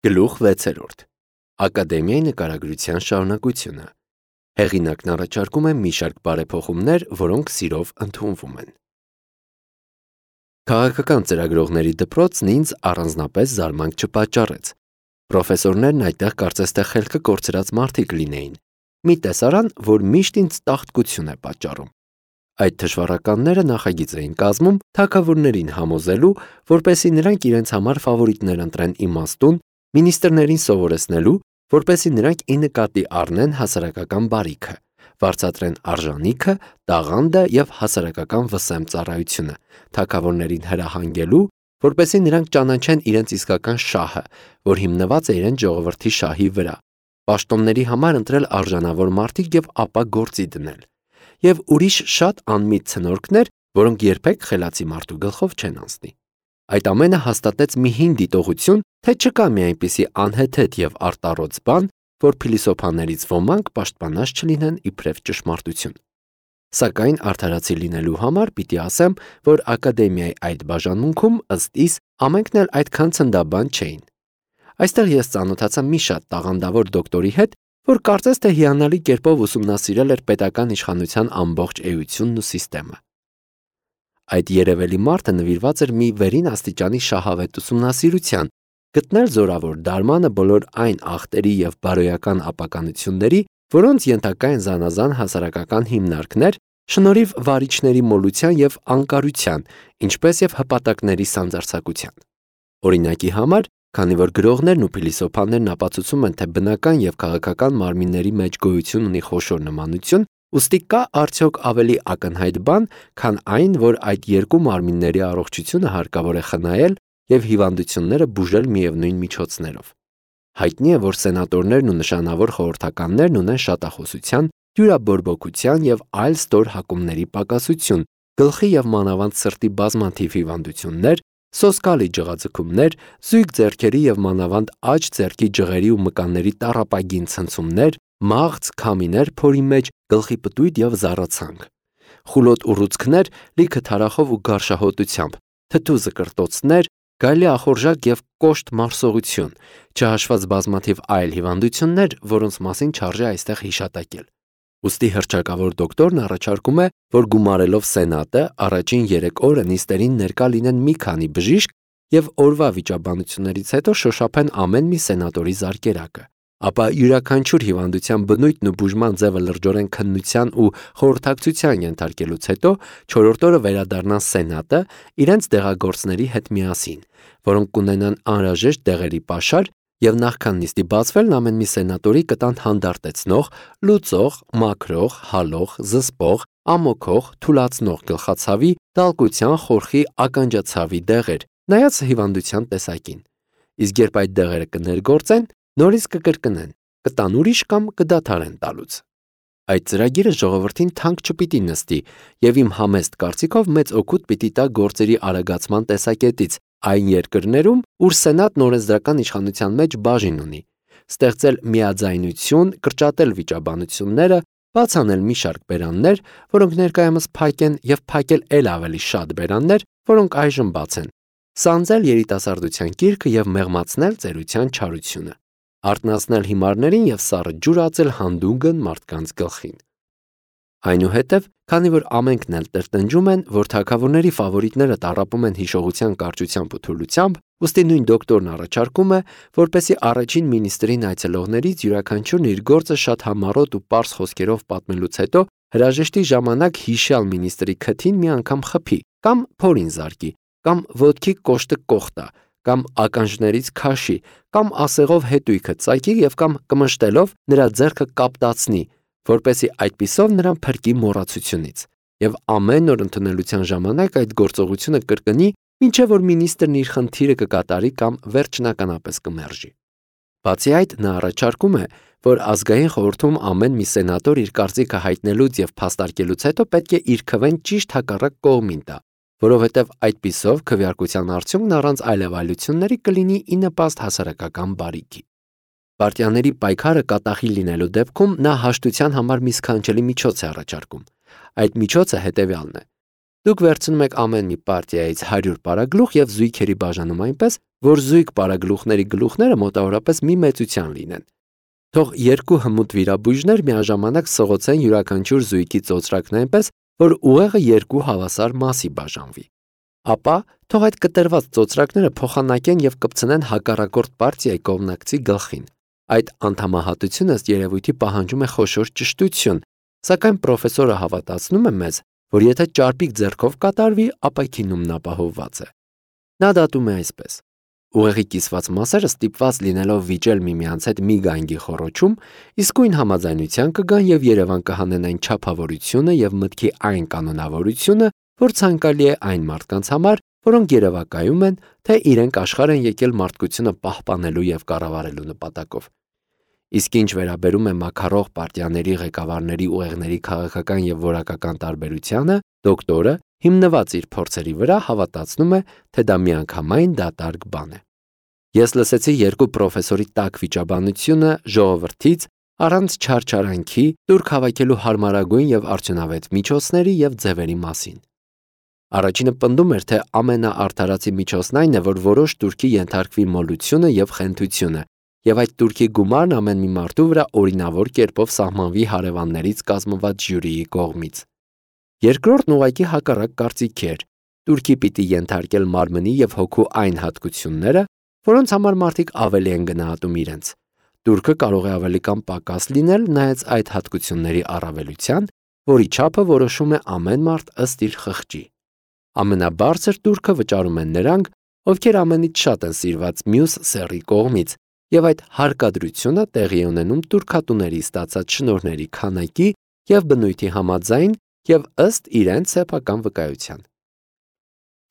Գլուխ 6. Ակադեմիայի նկարագրության շարունակությունը։ Հեղինակն առաջարկում է մի շարք բարեփոխումներ, որոնք սիրով ընդունվում են։ Քաղաքական ծրագրողների դպրոցն ինձ առանձնապես զարմանք չպատճառեց։ Պրոֆեսորներն այդտեղ կարծես թե խելքը կորցրած մարդիկ լինեին։ Մի տեսարան, որ միշտ ինձ տաղտկություն է պատճառում։ Այդ թշվառականները նախագիծ էին կազմում թագավորներին համոզելու, որպեսզի նրանք իրենց համար ֆավորիտներ ընտրեն իմաստուն, մինիստրներին սովորեցնելու, որպեսզի նրանք ի նկատի առնեն հասարակական բարիքը, վարձատրեն արժանիքը, տաղանդը և հասարակական վսեմ ծառայությունը, թագավորներին հրահանգելու, որպեսզի նրանք ճանաչեն իրենց իսկական շահը, որ հիմնված է իրենց ժողովրդի շահի վրա, պաշտոնների համար ընտրել արժանավոր մարդիկ և ապա գործի դնել, և ուրիշ շատ անմիտ ցնորքներ, որոնք երբեք խելացի մարդու գլխով չեն անցնի։ Այդ ամենը հաստատեց մի հին դիտողություն, թե չկա մի այնպիսի անհեթեթ և արտառոց բան, որ փիլիսոփաներից ոմանք պաշտպանած չլինեն իբրև ճշմարտություն։ Սակայն արդարացի լինելու համար պիտի ասեմ, որ ակադեմիայի այդ բաժանմունքում ըստ իս ամենքն էլ այդքան ցնդաբան չէին։ Այստեղ ես ծանոթացա մի շատ տաղանդավոր դոկտորի հետ, որ կարծես թե հիանալի կերպով ուսումնասիրել էր պետական իշխանության ամբողջ էությունն ու սիստեմը։ Այդ երևելի մարդը նվիրված էր մի վերին աստիճանի շահավետ ուսումնասիրության, գտնել զորավոր դարմանը բոլոր այն ախտերի և բարոյական ապականությունների, որոնց ենթակա են զանազան հասարակական հիմնարկներ, շնորհիվ վարիչների մոլության և անկարության, ինչպես և հպատակների սանձարձակության։ Օրինակի համար, քանի որ գրողներն ու փիլիսոփաներն ապացուցում են, թե բնական և քաղաքական մարմինների մեջ գոյություն ունի խոշոր նմանություն, ուստի կա արդյոք ավելի ակնհայտ բան, քան այն, որ այդ երկու մարմինների առողջությունը հարկավոր է խնայել և հիվանդությունները բուժել միևնույն միջոցներով։ Հայտնի է, որ սենատորներն ու նշանավոր խորհրդականներն ունեն շատախոսության, հյուրաբորբոքության և այլ ստոր հակումների պակասություն, գլխի և մանավանդ սրտի բազմաթիվ հիվանդություններ, սոսկալի ջղաձգումներ, զույգ ձեռքերի և մանավանդ աջ ձեռքի ջղերի ու մկանների տառապագին ցնցումներ, մաղձ, քամիներ փորի մեջ, գլխի պտույտ և զառացանք, խուլոտ ուռուցքներ լիքը թարախով ու գարշահոտությամբ, թթու զկրտոցներ, գայլի ախորժակ և կոշտ մարսողություն, չհաշված բազմաթիվ այլ հիվանդություններ, որոնց մասին չարժե այստեղ հիշատակել։ Ուստի հռչակավոր դոկտորն առաջարկում է, որ գումարելով սենատը առաջին 3 օրը նիստերին ներկա լինեն մի քանի բժիշկ և օրվա վիճաբանություններից հետո շոշափեն ամեն մի սենատորի զարկերակը, ապա յուրաքանչյուր հիվանդության բնույթն ու բուժման ձևը լրջորեն քննության ու խորհրդակցության ենթարկելուց հետո 4-րդ օրը վերադառնան սենատը իրենց դեղագործների հետ միասին, որոնք կունենան անհրաժեշտ դեղերի պաշար և նախքան նիստի բացվելն ամեն մի սենատորի կտան հանդարտեցնող, լուծող, մաքրող, հալող, զսպող, ամոքող, թուլացնող գլխացավի, դալկության, խորխի, ականջացավի դեղեր, նայած հիվանդության տեսակին։ Իսկ երբ այդ դեղերը կներգործեն, նորից կկրկնեն, կտան ուրիշ կամ կդադարեն տալուց։ Այդ ծրագիրը ժողովրդին թանկ չպիտի նստի և իմ համեստ կարծիքով մեծ օգուտ պիտի տա գործերի արագացման տեսակետից այն երկրներում, ուր սենատն օրենսդրական իշխանության մեջ բաժին ունի, ստեղծել միաձայնություն, կրճատել վիճաբանությունները, բաց անել մի շարք բերաններ, որոնք ներկայումս փակ են, և փակել էլ ավելի շատ բերաններ, որոնք այժմ բաց են, սանձել երիտասարդության կիրքը և մեղմացնել ծերության չարությունը, արթնացնել հիմարներին և սառը ջուր ածել հանդուգն մարդկանց գլխին։ Այնուհետև, քանի որ ամենքն էլ տրտնջում են, որ թագավորների ֆավորիտները տառապում են հիշողության կարճությամբ ու թուլությամբ, ուստի նույն դոկտորն առաջարկում է, որպեսզի առաջին մինիստրին այցելողներից յուրաքանչյուրն իր գործը շատ համառոտ ու պարզ խոսքերով պատմելուց հետո հրաժեշտի ժամանակ հիշյալ մինիստրի քթին մի անգամ խփի, կամ փորին զարկի, կամ ոտքի կոշտը կոխտա, կամ ականջներից քաշի, կամ ասեղով հետույքը ծակի և կամ կմշտելով նրա ձեռքը կապտացնի, որպեսզի այդպիսով նրան փրկի մոռացությունից, և ամեն օր ընդունելության ժամանակ այդ գործողությունը կրկնի, մինչև որ մինիստրն իր խնդիրը կկատարի կամ վերջնականապես կմերժի։ Բացի այդ, նա առաջարկում է, որ ազգային խորհրդում ամեն մի սենատոր իր կարծիքը հայտնելուց և փաստարկելուց հետո պետք է իր քվեն ճիշտ հակառակ կողմին տա, որովհետև այդպիսով քվեարկության արդյունքն առանց այլևայլությունների կլինի ի նպաստ հասարակական բարիքի։ Պարտիաների պայքարը կատաղի լինելու դեպքում նա հաշտության համար մի սքանչելի միջոց է առաջարկում։ Այդ միջոցը հետևյալն է. Դուք վերցնում եք ամեն մի պարտիայից 100 պարագլուխ եւ զույգերի բաժանում այնպես, որ զույգ պարագլուխների գլուխները մոտավորապես մի մեծության լինեն։ Թող երկու հմուտ վիրաբույժներ միաժամանակ սղոցեն յուրաքանչյուր զույգի ծոծրակն այնպես, որ ուղեղը երկու հավասար մասի բաժանվի։ Ապա թող այդ կտրված ծոծրակները փոխանակեն եւ կպցնեն հակառակորդ պարտիայի կողմնակցի գլխին։ Այդ անդամահատությունը ըստ երևույթի պահանջում է խոշոր ճշտություն, սակայն պրոֆեսորը հավատացնում է մեզ, որ եթե ճարպիկ ձեռքով կատարվի, ապա քինումն ապահովված է։ Նա դատում է այսպես. ուղեղի կիսված մասերը ստիպված լինելով վիճել միմյանց հետ մի գանգի խոռոչում, իսկույն համաձայնության կգան եւ Երևան կհանեն այն չափավորությունը եւ մտքի այն կանոնավորությունը, որ ցանկալի է այն մարդկանց համար, որոնք երևակայում են, թե իրենք աշխարհ են եկել մարդկությունը պահպանելու եւ կառավարելու նպատակով։ Իսկ ինչ վերաբերում է մաքարող պարտիաների ղեկավարների ուղեղների քաղաքական եւ որակական տարբերությանը, դոկտորը, հիմնված իր փորձերի վրա, հավատացնում է, թե դա միանգամայն դատարկ բան է։ Ես լսեցի երկու պրոֆեսորի տաք վիճաբանությունը ժողովրդից առանց չարչարանքի դուրք հավաքելու հարմարագույն եւ արդյունավետ միջոցների եւ ձևերի մասին։ Առաջինը պնդում էր, թե ամենաարդարացի միջոցն այն է, որ որոշ турքի ենթարկվի մոլությունը եւ խենթությունը, եւ այդ турքի գումարն ամեն մի մարդու վրա օրինավոր կերպով սահմանվի հարևաններից կազմված ժյուրիի կողմից։ Երկրորդն ուղղակի հակառակ կարծիքի էր. турքի պիտի ենթարկել մարմնի եւ հոգու այն հատկությունները, որոնց համար մարդիկ ավելի են գնահատում իրենց։ Турքը կարող է ավելի կամ պակաս լինել նայած այդ հատկությունների առավելության, որի չափը որոշում է ամեն մարդ ըստ իր խղճի։ Ամենաբարձր турքը վճարում են նրանք, ովքեր ամենից շատ են սիրված մյուս սեռի կողմից, եւ այդ հարկադրությունը տեղի է ունենում турքատուների ստացած շնորհների քանակի եւ բնույթի համաձայն եւ ըստ իրենց սեփական վկայության։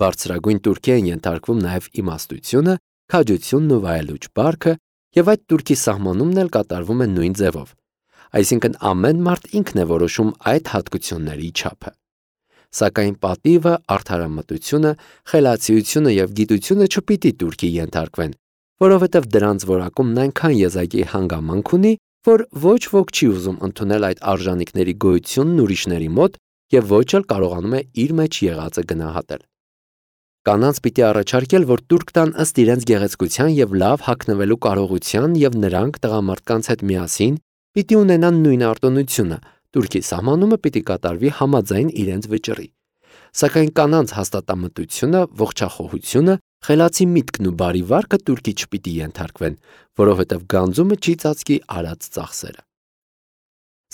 Բարձրագույն турքի են ենթարկվում նաեւ իմաստությունը, քաջությունն ու վայելուչ բարքը, եւ այդ турքի սահմանումն էլ կատարվում է նույն ձևով։ Այսինքն ամեն մարդ ինքն է որոշում այդ հատկությունների չափը։ Սակայն պատիվը, արդարամտությունը, խելացիությունը եւ գիտությունը չպիտի турքի ենթարկվեն, որովհետև դրանց որակումն այնքան եզակի հանգամանք ունի, որ ոչ ոք չի ուզում ընդունել այդ արժանինքների գոյությունն ուրիշների մոտ եւ ոչ էլ կարողանում է իր մեջ եղածը գնահատել։ Կանանց պիտի առաջարկել, որ турք տան ըստ իրենց գեղեցկության եւ լավ հագնվելու կարողության եւ նրանք տղամարդկանց հետ միասին պիտի ունենան նույն արտոնությունը, турքի սահմանումը պիտի կատարվի համաձայն իրենց վճռի։ Սակայն կանանց հաստատամտությունը, ողջախոհությունը, խելացի միտքն ու բարի վարքը турքի չպիտի ենթարկվեն, որովհետև գանձումը չի ծածկի արած ծախսերը։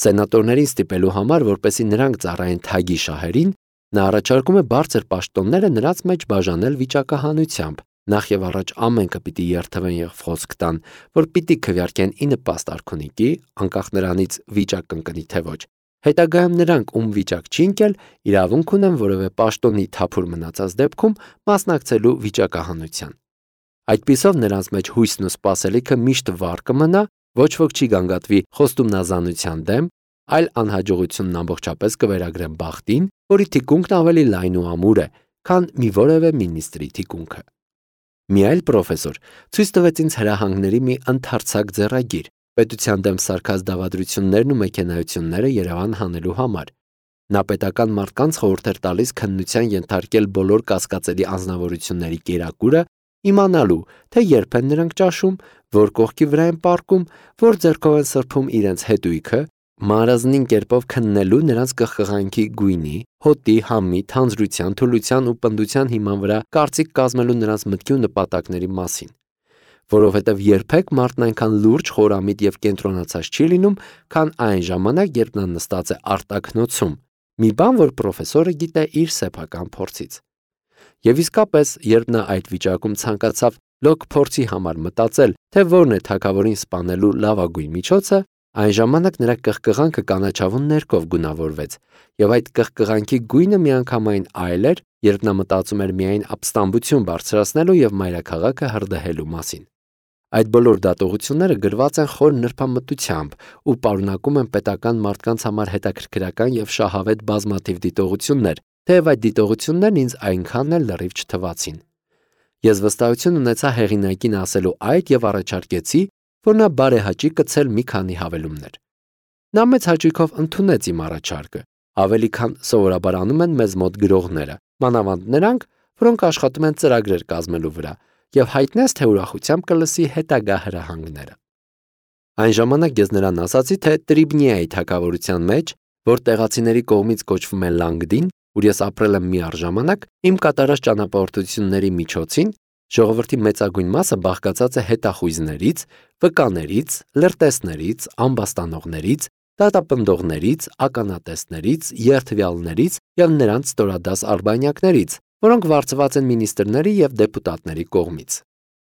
Սենատորներին ստիպելու համար, որպեսզի նրանք ծառայեն թագի շահերին, նա առաջարկում է բարձր պաշտոնները նրանց մեջ բաժանել վիճակահանությամբ, նախ եւ առաջ ամենքը պիտի երթվեն եւ խոսք տան, որ պիտի քվեարկեն ի նպաստ արքունիքի, անկախ նրանից վիճակ կընկնի թե ոչ։ Հետագայում նրանք, ում վիճակ չի ընկել, իրավունք ունեն որևէ պաշտոնի թափուր մնացած դեպքում մասնակցելու վիճակահանության։ Այդպիսով նրանց մեջ հույսն ու սպասելիքը միշտ վառ կմնա, ոչ ոք չի գանգատվի խոստումնազանության դեմ, այլ անհաջողությունն ամբողջապես կվերագրեն բախտին, որի թիկունքն ավելի լայն ու ամուր է, քան մի որևէ մինիստրի թիկունքը։ Մի այլ պրոֆեսոր ցույց տվեց ինձ հրահանգների մի ընդարձակ ձեռագիր, պետության դեմ սարքած դավադրություններն ու մեքենայությունները Երևան հանելու համար։ Նա պետական մարդկանց խորհուրդ էր տալիս քննության ենթարկել բոլոր կասկածելի անձնավորությունների կերակուրը, իմանալու, թե երբ են նրանք ճաշում, որ կողքի վրա են պառկում, որ ձեռքով են սրբում իրենց հետույքը, մարզնին կերպով քննելու նրանց կխղանքի գույնի, հոտի, համի, թանձրության, թուլության ու պնդության հիման վրա կարծիք կազմելու նրանց մտքի ու նպատակների մասին։ Որովհետև երբեք մարդն այնքան լուրջ, խորամիտ եւ կենտրոնացած չի լինում, քան այն ժամանակ, երբ նա նստած է արտաքնոցում, մի բան, որ պրոֆեսորը գիտե իր սեփական փորձից։ Եվ իսկապես, երբ նա այդ վիճակում ցանկացավ լոկ փորձի համար մտածել, թե որն է թագավորին սպանելու լավագույն միջոցը, այն ժամանակ նրա կղկղանքը կանաչավուն ներկով գունավորվեց, եւ այդ կղկղանքի գույնը միանգամայն այլ էր, երբ նա մտածում էր միայն ապստամբություն բարձրացնելու եւ մայրաքաղաքը հրդեհելու մասին։ Այդ բոլոր դատողությունները գրված են խոր նրբամտությամբ ու պարունակում են պետական մարդկանց համար հետաքրքրական եւ շահավետ բազմաթիվ դիտողություններ, թեև այդ դիտողություններն ինձ այնքան էլ լրիվ չթվացին։ Ես վստահություն ունեցա հեղինակին ասելու այդ եւ առաջարկեցի, որ նա բարեհաճի կցել մի քանի հավելումներ։ Նա մեծ հաճույքով ընդունեց իմ առաջարկը, Ավելի քան սովորաբար անում են մեզ մոտ գրողները, մանավանդ նրանք, որոնք աշխատում են ծրագրեր կազմելու վրա, եւ հայտնես, թե ուրախությամբ կլսի հետագա հրահանգները։ Այն ժամանակ ես նրան ասացի, թե Տրիբնիայի թագավորության մեջ, որ տեղացիների կողմից կոչվում է Լանգդին, ուր ես ապրել եմ մի առժամանակ, իմ կատարած ճանապարհորդությունների միջոցին ժողովրդի մեծագույն մասը բաղկացած է հետախույզներից, վկաներից, լրտեսներից, ամբաստանողներից, դատապնդողներից, ականատեսներից, երդվյալներից եւ նրանց ստորադաս արբանյակներից, որոնք վարձված են մինիստրների եւ դեպուտատների կողմից։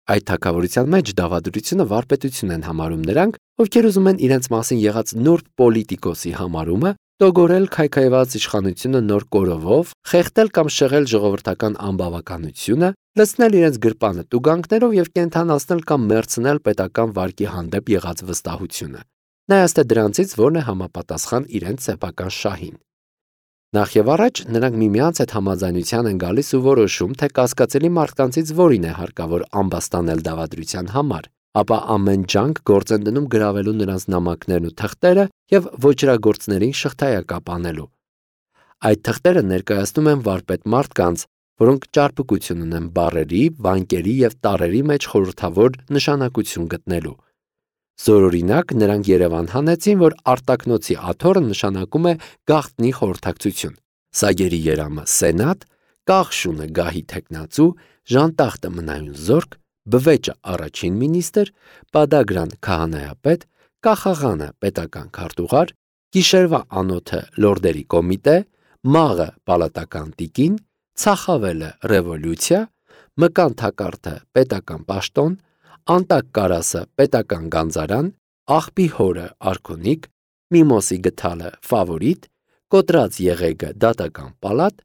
Այդ թագավորության մեջ դավադրությունը վարպետություն են համարում նրանք, ովքեր ուզում են իրենց մասին եղած նուրբ պոլիտիկոսի համարումը, տոգորել քայքայված իշխանությունը նոր կորովով, խեղդել կամ շեղել ժողովրդական անբավականությունը, լցնել իրենց գրպանը տուգանքներով եւ կենթանացնել կամ մերցնել պետական վարկի հանդեպ եղած վստահությունը։ Նայած թե դրանցից որն է համապատասխան իրենց սեփական շահին։ Նախ եւ առաջ նրանք միմյանց հետ համաձայնության են գալիս ու որոշում, թե կասկածելի մարդկանցից որին է հարկավոր ամբաստանել դավադրության համար, ապա ամեն ջանք գործ են դնում գրավելու նրանց նամակներն ու թղթերը եւ ոչրագործներին շղթայակապ անելու։ Այդ թղթերը ներկայացնում են վարպետ մարդկանց, որոնք ճարպկություն ունեն բառերի, վանկերի եւ տառերի մեջ խորհրդավոր նշանակություն գտնելու։ Զորօրինակ նրանք Երևան հանեցին, որ արտակնոցի աթոռը նշանակում է գաղտնի խորհրդակցություն, սագերի երամը սենատ, կաղշունը գահի թեկնածու, ժանտախտը մնայուն զորք, բվեճը առաջին մինիստր, պադագրան քահանայապետ, կախաղանը պետական քարտուղար, գիշերվա անոթը լորդերի կոմիտե, մաղը պալատական տիկին, ցախավելը ռևոլյուցիա, մկան թակարդը պետական պաշտոն, անտակ կարասը պետական գանձարան, աղբի հորը արքունիկ, միմոսի գթալը ֆավորիտ, կոտրած եղեգը դատական պալատ,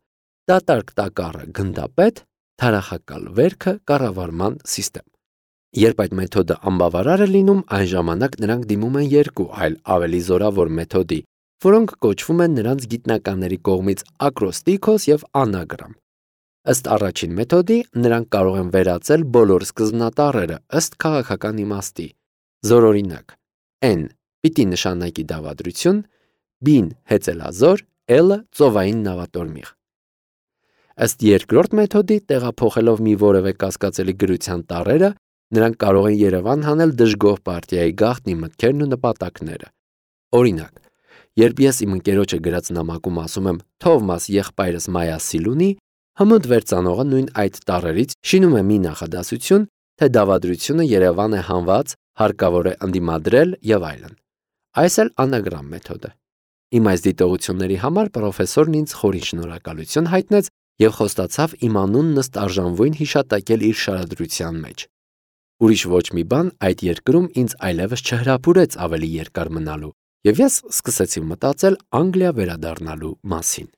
դատարկ տակառը գնդապետ, թարախակալ վերքը կառավարման սիստեմ։ Երբ այդ մեթոդը անբավարար է լինում, այն ժամանակ նրանք դիմում են երկու այլ ավելի զորավոր մեթոդի, որոնք կոչվում են նրանց գիտնականների կողմից ակրոստիքոս եւ անագրամ։ Ըստ առաջին մեթոդի նրանք կարող են վերածել բոլոր սկզբնատառերը ըստ քաղաքական իմաստի։ Զորօրինակ N պիտի նշանակի դավադրություն, B-ն հեծելազոր, L-ը ծովային նավատորմիղ։ Ըստ երկրորդ մեթոդի տեղափոխելով մի որևէ կասկածելի գրության տառերը, նրանք կարող են Երևան հանել դժգոհ պարտիայի գաղտնի մտքերն ու նպատակները։ Օրինակ, երբ ես իմ ընկերոջը գրած նամակում ասում եմ «Թովմաս եղբայրս Մայասի լունի», հմուտ վերծանողը նույն այդ տառերից շինում է մի նախադասություն, թե դավադրությունը Երևան է հանված, հարկավոր է ընդդիմադրել եւ այլն։ Այս էլ անագրամ մեթոդ է։ Իմ այս դիտողությունների համար պրոֆեսորն ինձ խորին շնորհակալություն հայտնեց եւ խոստացավ իմ անունն ըստ արժանվույն հիշատակել իր շարադրության մեջ։ Ուրիշ ոչ մի բան այդ երկրում ինձ այլևս չհրապուրեց ավելի երկար մնալու, եւ ես սկսեցի մտածել Անգլիա վերադառնալու մասին։